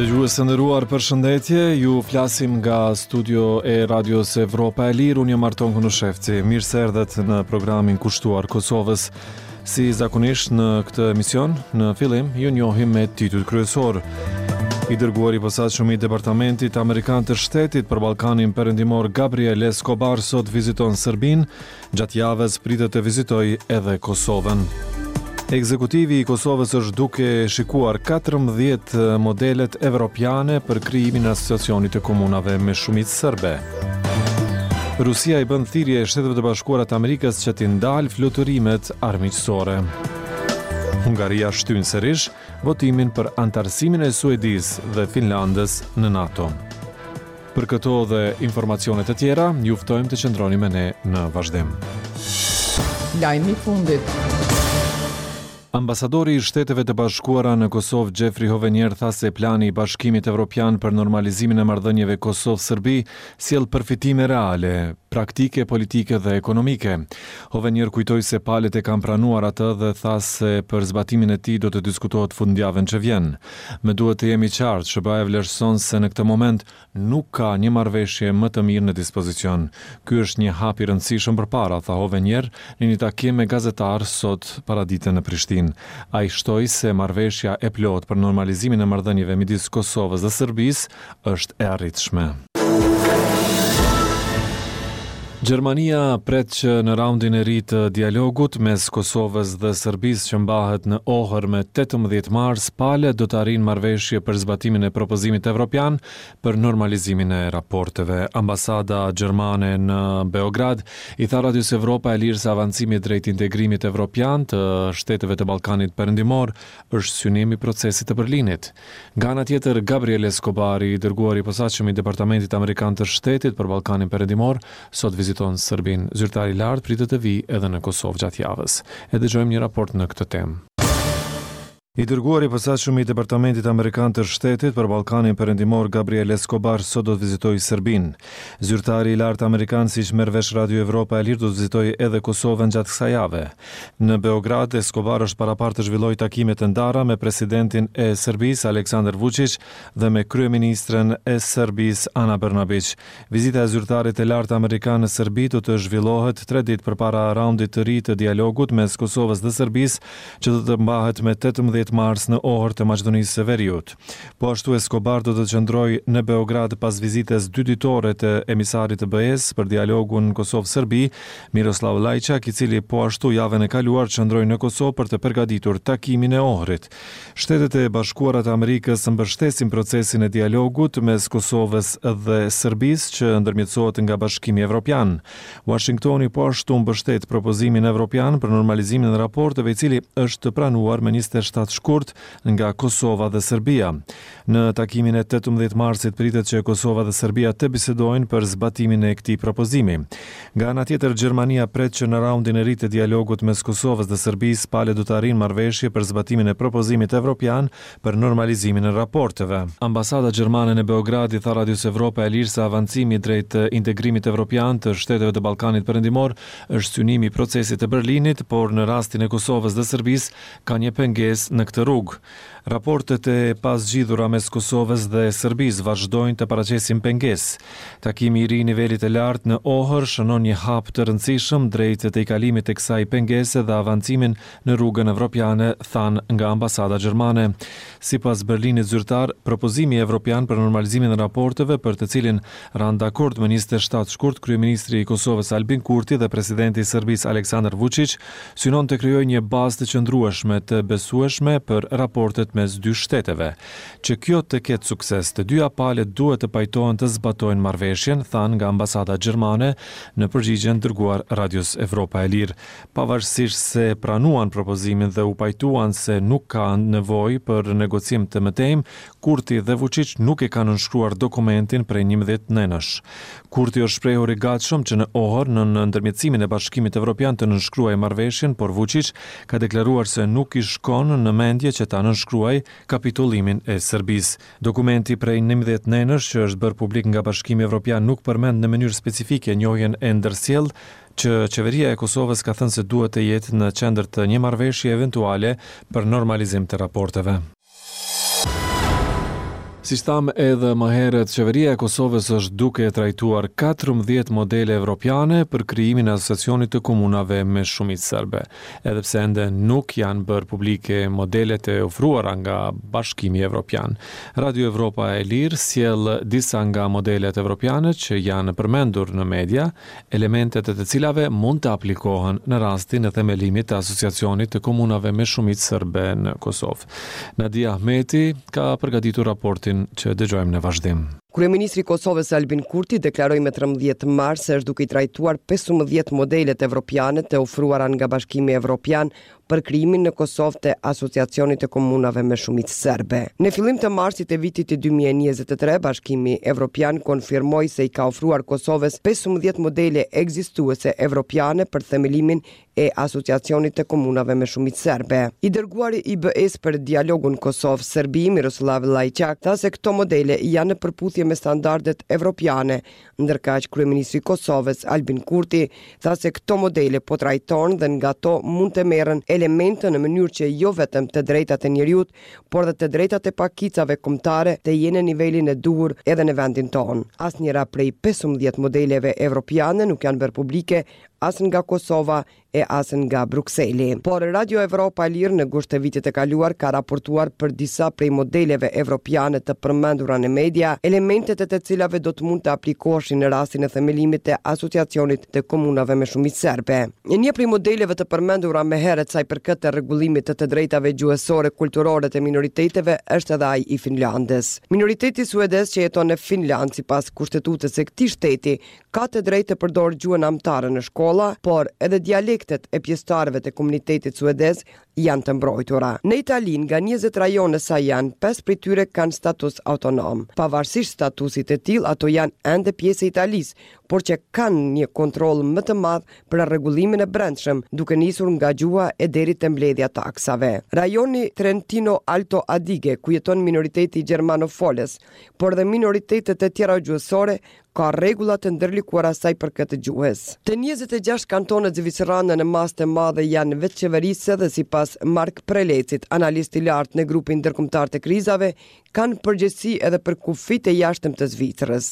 Dëgjues të nderuar, përshëndetje. Ju flasim nga studio e Radios Evropa e Lirë. Unë jam Arton Konushevci. Mirë se erdhët në programin kushtuar Kosovës. Si zakonisht në këtë emision, në fillim ju njohim me titujt kryesorë. I dërguari i posaçëm i Departamentit Amerikan të Shtetit për Ballkanin Perëndimor Gabriel Escobar sot viziton Serbinë, Gjatë javës pritet të vizitojë edhe Kosovën. Ekzekutivi i Kosovës është duke shikuar 14 modelet evropiane për krijimin e asociacionit të komunave me shumicë serbe. Rusia i bën thirrje Shteteve të Bashkuara të Amerikës që t'i ndalë fluturimet armiqësore. Hungaria shtyn sërish votimin për anëtarësimin e Suedisë dhe Finlandës në NATO. Për këto dhe informacione të tjera, ju ftojmë të qëndroni me ne në vazhdim. Lajmi i fundit. Ambasadori i Shteteve të Bashkuara në Kosovë, Jeffrey Hovenier tha se plani i Bashkimit Evropian për normalizimin e marrëdhënieve Kosovë-Serbi sjell përfitime reale, praktike, politike dhe ekonomike. Hovenier kujtoi se palët e kanë pranuar atë dhe tha se për zbatimin e tij do të diskutohet fundjavën që vjen. Më duhet të jem i qartë, SHBA-ja vlerëson se në këtë moment nuk ka një marrëveshje më të mirë në dispozicion. Ky është një hap i rëndësishëm përpara, tha Hovenier në një takim me gazetarë sot paradite në Prishtinë. Ai shtoi se marrëveshja e plotë për normalizimin e marrëdhënieve midis Kosovës dhe Serbisë është e arritshme. Gjermania pret që në raundin e ri të dialogut mes Kosovës dhe Serbisë që mbahet në Ohër me 18 mars, palët do të arrijnë marrëveshje për zbatimin e propozimit evropian për normalizimin e raporteve. Ambasada gjermane në Beograd i tha Radios Evropa e Lirë se avancimi drejt integrimit evropian të shteteve të Ballkanit Perëndimor është synim i procesit të Berlinit. Nga ana tjetër, Gabriel Escobar, i dërguari i posaçëm i Departamentit Amerikan të Shtetit për Ballkanin Perëndimor, sot viziton Serbinë. Zyrtari i lartë pritet të vijë edhe në Kosovë gjatë javës. E dëgjojmë një raport në këtë temë. I dërguari i posaçëm i Departamentit Amerikan të Shtetit për Ballkanin Perëndimor, Gabriel Escobar, sot do të vizitojë Serbinë. Zyrtari i lartë amerikan, siç merr vesh Radio Evropa e Lirë, do të vizitojë edhe Kosovën gjatë kësaj jave. Në Beograd, Escobar është paraparë të zhvillojë takime të ndara me presidentin e Serbisë, Aleksandar Vuçiq dhe me kryeministren e Serbisë, Ana Brnabiq. Vizita e zyrtarit të lartë amerikan në Serbi do të zhvillohet tre ditë përpara raundit të ri të dialogut mes Kosovës dhe Serbisë, që do të mbahet me 18 mars në Ohër të Maqedonisë së Veriut. Po ashtu Escobar do të qëndrojë në Beograd pas vizitës dyditore të emisarit të BE-së për dialogun Kosovë-Serbi, Miroslav Lajçak, i cili po ashtu javën e kaluar qëndroi në Kosovë për të përgatitur takimin e Ohrit. Shtetet e Bashkuara të Amerikës mbështesin procesin e dialogut mes Kosovës dhe Serbisë që ndërmjetësohet nga Bashkimi Evropian. Uashingtoni po ashtu mbështet propozimin evropian për normalizimin e raporteve i cili është pranuar më 27 shkurt nga Kosova dhe Serbia. Në takimin e 18 marsit pritet që Kosova dhe Serbia të bisedojnë për zbatimin e këtij propozimi. Nga ana tjetër, Gjermania pret që në raundin e ri të dialogut mes Kosovës dhe Serbisë, palët do të arrijnë marrëveshje për zbatimin e propozimit evropian për normalizimin e raporteve. Ambasada gjermane në Beograd i tha Radios Evropa e Lirë se avancimi drejt integrimit evropian të shteteve të Ballkanit Perëndimor është synimi i procesit të Berlinit, por në rastin e Kosovës dhe Serbisë ka një pengesë në këtë rrugë. Raportet e pazgjidhura mes Kosovës dhe Serbisë vazhdojnë të paraqesin pengesë. Takimi i ri i nivelit të lartë në Ohër shënon një hap të rëndësishëm drejt tejkalimit të kësaj pengese dhe avancimin në rrugën evropiane, thanë nga ambasada gjermane. Sipas Berlinit zyrtar, propozimi evropian për normalizimin e raporteve për të cilin ranë dakord më 27 shkurt kryeministri i Kosovës Albin Kurti dhe presidenti i Serbisë Aleksandar Vuçiq synon të krijojë një bazë të qëndrueshme të besueshme për raportet mes dy shteteve. Që kjo të ketë sukses, të dyja palët duhet të pajtohen të zbatojnë marrëveshjen, thanë nga ambasada gjermane në përgjigjen dërguar Radios Evropa e Lirë. Pavarësisht se pranuan propozimin dhe u pajtuan se nuk ka nevojë për negocim të mëtejmë, Kurti dhe Vuçiq nuk e kanë nënshkruar dokumentin prej 11 nenësh. Kurti është shprehur i gatshëm që në Ohër, nën ndërmjetësimin e Bashkimit Evropian të nënshkruajë marrëveshjen, por Vuçiq ka deklaruar se nuk i shkon në mendje që ta nënshkruajë kapitullimin e Serbisë. Dokumenti prej 11 nenësh që është bërë publik nga Bashkimi Evropian nuk përmend në mënyrë specifike njohjen e ndërsjellë që qeveria e Kosovës ka thënë se duhet të jetë në qendër të një marrëveshje eventuale për normalizim të raporteve. Siç thamë edhe më herët, Qeveria e Kosovës është duke trajtuar 14 modele evropiane për krijimin e Asociacionit të Komunave me shumicë serbe, edhe pse ende nuk janë bërë publike modelet e ofruara nga Bashkimi Evropian. Radio Evropa e Lirë sjell disa nga modelet evropiane që janë përmendur në media, elementet e të cilave mund të aplikohen në rastin e themelimit të Asociacionit të Komunave me shumicë serbe në Kosovë. Nadia Ahmeti ka përgatitur raportin që dëgjojmë në vazhdim. Kryeministri i Kosovës Albin Kurti deklaroi me 13 mars se është duke i trajtuar 15 modelet evropiane të ofruara nga Bashkimi Evropian për krijimin në Kosovë të Asociacionit të Komunave me shumicë serbe. Në fillim të marsit të vitit 2023, Bashkimi Evropian konfirmoi se i ka ofruar Kosovës 15 modele ekzistuese evropiane për themelimin e Asociacionit të Komunave me shumicë serbe. I dërguari i BE-së për dialogun Kosovë-Serbi, Miroslav Lajçak, tha se këto modele janë në përputhje me standardet evropiane Ndërkaq, kryeministri i Kosovës, Albin Kurti, tha se këto modele po trajtohen dhe nga to mund të merren elemente në mënyrë që jo vetëm të drejtat e njeriut, por dhe të drejtat e pakicave kombëtare të jenë në nivelin e duhur edhe në vendin tonë. Asnjëra prej 15 modeleve evropiane nuk janë bërë publike as nga Kosova e as nga Brukseli. Por Radio Evropa e Lirë në gusht të vitit të kaluar ka raportuar për disa prej modeleve evropiane të përmendura në media, elementet e të cilave do të mund të aplikoheshin në rastin e themelimit të Asociacionit të Komunave me shumicë serbe. Një prej modeleve të përmendura më herët sa i përket të rregullimit të të drejtave gjuhësore kulturore të minoriteteve është edhe ai i Finlandës. Minoriteti suedez që jeton në Finlandë sipas kushtetutës së këtij shteti ka të drejtë të përdorë gjuhën amtare në shkolla, por edhe dialektet e pjesëtarëve të komunitetit suedez janë të mbrojtura. Në Itali, nga 20 rajone sa janë, 5 prej tyre kanë status autonom. Pavarësisht statusit të tillë, ato janë ende pjesë e Italisë, por që kanë një kontroll më të madh për rregullimin e brendshëm, duke nisur nga gjuha e deri te mbledhja e taksave. Rajoni Trentino Alto Adige, ku jeton minoriteti gjermanofolës, por dhe minoritetet e tjera gjuhësore, ka rregulla të ndërlikuara sa i përket gjuhës. Të 26 kantonet zvicerane në masë të madhe janë vetëqeverisëse dhe sipas Mark Prelecit, analist i lartë në grupin ndërkombëtar të krizave, kanë përgjegjësi edhe për kufijtë e jashtëm të Zvicrës.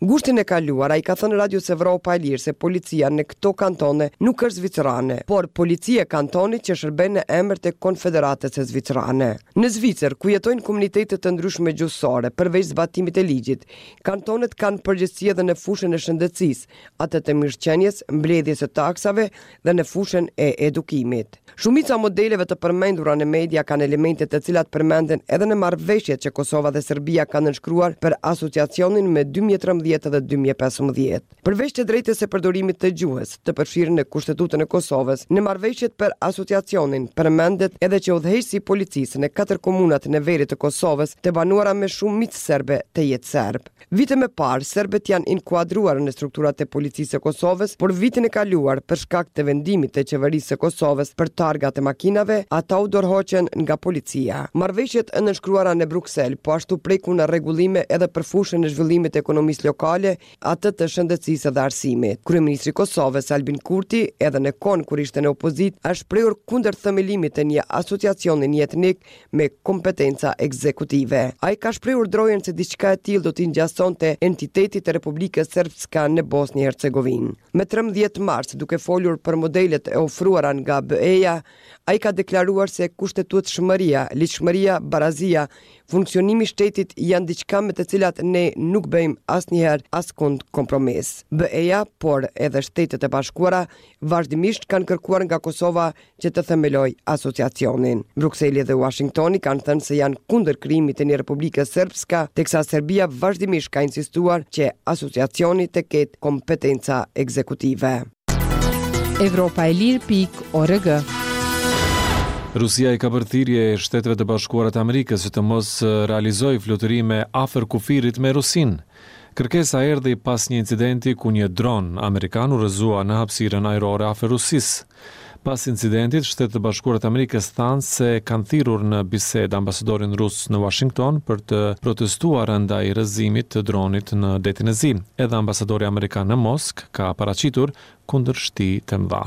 Gushtin e kaluar ai ka thënë Radios Evropa e Lirë se policia në këto kantone nuk është zvicerane, por policia e kantonit që shërben në emër të Konfederatës Zvicerane. Në Zvicër, ku jetojnë komunitete të ndryshme gjuhësore, përveç zbatimit të ligjit, Kantonet kanë përgjegjësi edhe në fushën e shëndetësisë, atë të mirëqenies, mbledhjes së taksave dhe në fushën e edukimit. Shumica e modeleve të përmendura në media kanë elemente të cilat përmenden edhe në marrëveshjet që Kosova dhe Serbia kanë nënshkruar për asociacionin më 2013 dhe 2015. Përveç të drejtës së përdorimit të gjuhës, të përfshirë në Kushtetutën e Kosovës, në marrëveshjet për asociacionin përmendet edhe që udhëheqësi i policisë në katër komunat në veri të Kosovës, të banuara me shumicë serbe, të jetë serb. Vite më parë, serbët janë inkuadruar në strukturat e policisë së Kosovës, por vitin e kaluar, për shkak të vendimit të qeverisë së Kosovës për targat e makinave, ata u dorëhoqën nga policia. Marrëveshjet e nënshkruara në Bruksel po ashtu prekun rregullime edhe për fushën e zhvillimit të ekonomisë lokale, atë të shëndetësisë dhe arsimit. Kryeministri i Kosovës, Albin Kurti, edhe në kohën kur ishte në opozitë, është shprehur kundër themelimit të një asociacioni njëetnik me kompetenca ekzekutive. Ai ka shprehur drojën se diçka e tillë do t'i ngjasonte entitetit të Republikës Srpska në Bosnjë e Hercegovinë. Më 13 mars, duke folur për modelet e ofruara nga BE-ja, ai ka deklaruar se kushtetutshmëria, ligjshmëria, barazia, funksionimi i shtetit janë diçka me të cilat ne nuk bëjmë asnjëherë askund kompromis. BE-ja, por edhe Shtetet e Bashkuara, vazhdimisht kanë kërkuar nga Kosova që të themelojë asociacionin. Brukseli dhe Uashingtoni kanë thënë se janë kundër krijimit të një Republike Srpska, teksa Serbia vazhdimisht ka insistuar që asociacioni të ketë kompetenca ekzekutive. Evropa e Lirë pikë org. Rusia i ka bërë thirrje Shteteve të Bashkuara të Amerikës që të mos realizojë fluturime afër kufirit me Rusinë. Kërkesa erdhi pas një incidenti ku një dron amerikan u rrëzua në hapësirën ajrore afër Rusisë. Pas incidentit, Shtetet e Bashkuara të Amerikës thanë se kanë thirrur në bisedë ambasadorin rus në Uashington për të protestuar ndaj rrëzimit të dronit në Detin e Zi. Edhe ambasadori amerikan në Moskë ka paraqitur. kundërshti të mëdha.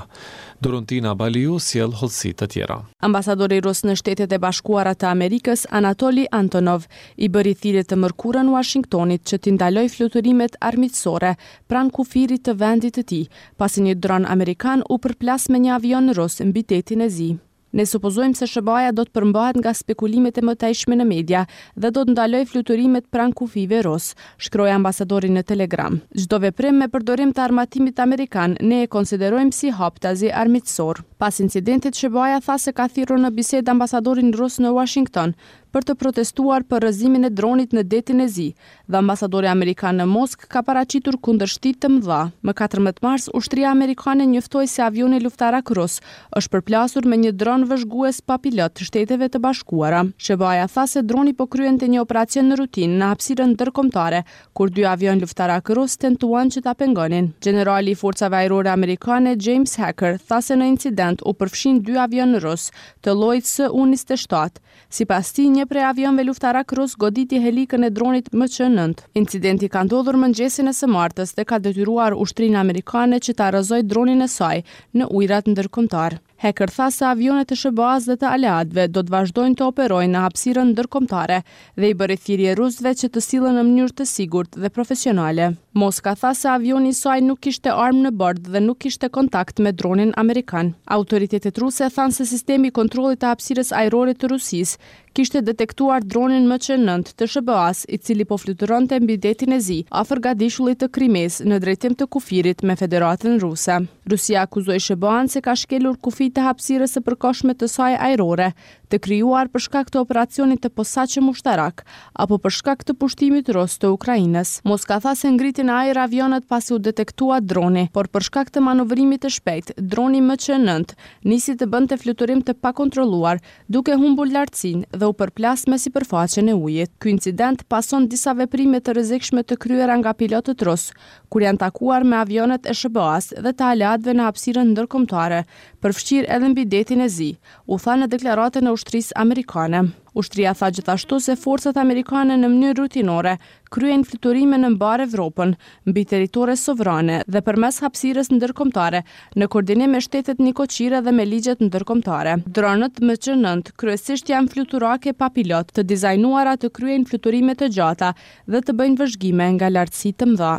Doruntina Baliu sjell hollësi të tjera. Ambasadori rus në Shtetet e Bashkuara të Amerikës, Anatoli Antonov, i bëri thirrje të mërkurën Uashingtonit që t'i ndalojë fluturimet armiqësore pranë kufirit të vendit të tij, pasi një dron amerikan u përplas me një avion rus mbi Detin e Zi. Ne supozojmë se SHBA-ja do të përmbahet nga spekulimet e mëtejshme në media dhe do të ndalojë fluturimet pranë kufijve rusë, shkroi ambasadori në Telegram. Çdo veprim me përdorim të armatimit amerikan ne e konsiderojmë si haptazi armiqësor. Pas incidentit, SHBA-ja tha se ka thirrur në bisedë ambasadorin rus në Uashington për të protestuar për rrëzimin e dronit në Detin e Zi dhe ambasadori amerikan në Moskë ka paraqitur kundërshti të mëdha. Më 14 mars, ushtria amerikane njoftoi se avioni luftarak rus është përplasur me një dron vëzhgues pa pilot të Shteteve të Bashkuara. SHBA-ja tha se droni po kryente një operacion rutinë në hapësirën ndërkombëtare, kur dy avionë luftarakë rusë tentuan që ta pengonin. Gjenerali i Forcave Ajrore Amerikane, James Hacker, tha se në incident u përfshinë dy avionë rusë, të llojit Su 27, Sipas tij, një prej avionëve luftarakë rusë goditi helikën e dronit MC 9. Incidenti ka ndodhur mëngjesin e së martës dhe ka detyruar ushtrinë amerikane që ta rrëzojë dronin e saj në ujërat ndërkombëtarë. Hacker tha se avionët e SHBA-së dhe të aleatëve do të vazhdojnë të operojnë në hapësirën ndërkombëtare dhe i bëri thirrje rusëve që të sillen në mënyrë të sigurt dhe profesionale. Moska tha se avioni i saj nuk kishte armë në bord dhe nuk kishte kontakt me dronin amerikan. Autoritetet ruse thanë se sistemi i kontrollit të hapësirës ajrore të Rusisë kishte detektuar dronin MC 9 të SHBA-së, i cili po fluturonte mbi Detin e Zi, afër gadishullit të Krimesë, në drejtim të kufirit me Federatën Ruse. Rusia akuzoi SHBA-në se ka shkelur kufijtë e hapësirës së përkohshme të saj ajrore, të krijuar për shkak të operacionit të posaçëm ushtarak, apo për shkak të pushtimit rus të Ukrainës. Moska tha se ngriti në ajër avionët pasi u detektua droni, por për shkak të manovrimit të shpejtë, droni MC 9 nisi të bënte fluturim të pakontrolluar, duke humbur lartësinë dhe u përplas me sipërfaqen e ujit. Ky incident pason disa veprime të rrezikshme të kryera nga pilotët rusë, kur janë takuar me avionët e SHBA-së dhe të aleatëve në hapësirën ndërkombëtare, përfshirë edhe mbi Detin e Zi, u tha në deklaratën e ushtrisë amerikane. Ushtria tha gjithashtu se forcat amerikane në mënyrë rutinore kryejnë fluturime në mbarë Evropën, mbi territore sovrane dhe përmes hapësirës ndërkombëtare, në koordinim me shtetet nikoqire dhe me ligjet ndërkombëtare. Dronët MC 9 kryesisht janë fluturake pa pilot, të dizajnuara të kryejnë fluturime të gjata dhe të bëjnë vëzhgime nga lartësi të mëdha.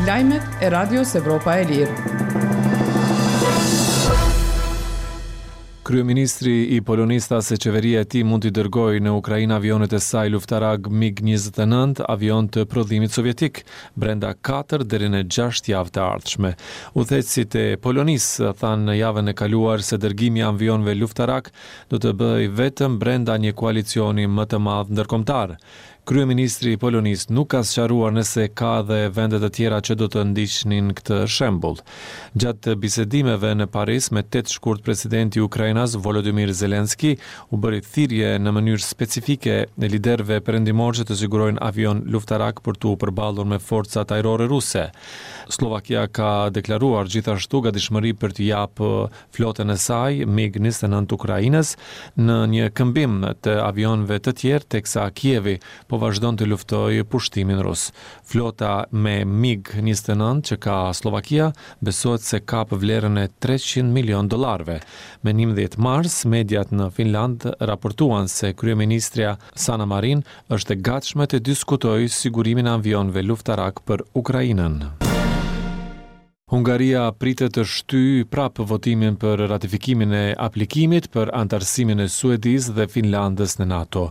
Lajmet e Radios Evropa e Lirë. Kryeministri i Polonisë tha se qeveria e tij mund t'i dërgojë në Ukrainë avionët e saj luftarakë MiG-29, avionë të prodhimit sovjetik, brenda 4 deri në 6 javë të ardhshme. Udhëheqësit e Polonisë thanë në javën e kaluar se dërgimi i avionëve luftarakë do të bëhej vetëm brenda një koalicioni më të madh ndërkombëtar. Kryeministri i Polonisë nuk ka sqaruar nëse ka edhe vende të tjera që do të ndiqnin këtë shembull. Gjatë bisedimeve në Paris me 8 shkurt presidenti ukrainas Volodymyr Zelensky u bëri thirrje në mënyrë specifike liderëve perëndimorë që të sigurojnë avionë luftarakë për t'u përballur me forcat ajrore ruse. Sllovakia ka deklaruar gjithashtu gatishmëri për t'i japë flotën e saj MiG 29 Ukrainës në një këmbim të avionëve të tjerë teksa Kievi po vazhdon të luftojë pushtimin rus. Flota me MiG 29 që ka Sllovakia besohet se kap vlerën e 300 milionë dollarëve. Me 11 mars, mediat në Finlandë raportuan se kryeministrja Sanna Marin është e gatshme të diskutojë sigurimin e avionëve luftarakë për Ukrainën. Hungaria pritet të shtyjë prapë votimin për ratifikimin e aplikimit për anëtarësimin e Suedisë dhe Finlandës në NATO.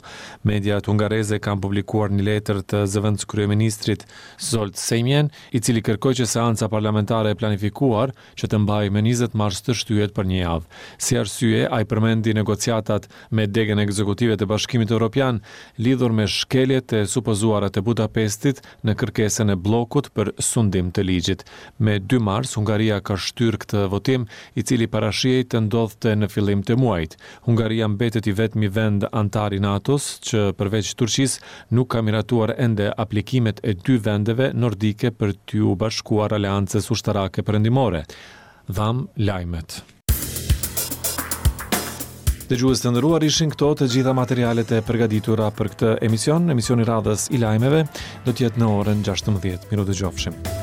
Mediat hungareze kanë publikuar një letër të zëvendëskryeministrit Zsolt Semjen, i cili kërkoi që seanca parlamentare e planifikuar që të mbahej më 20 mars të shtyhet për një javë. Si arsye, ai përmendi negociatat me degën ekzekutive të Bashkimit Evropian lidhur me shkeljet e supozuara të Budapestit në kërkesën e bllokut për sundim të ligjit. Me 2 mars, Hungaria ka shtyrë këtë votim, i cili parashihej të ndodhte në fillim të muajit. Hungaria mbetet i vetmi vend anëtar i NATO-s që përveç Turqisë nuk ka miratuar ende aplikimet e dy vendeve nordike për t'iu bashkuar aleancës ushtarake perëndimore. Dhamë lajmet. Dëgjues të nderuar ishin këto të gjitha materialet e përgatitura për këtë emision. Emisioni i radhës i lajmeve do të jetë në orën 16. Mirudëgjofshim.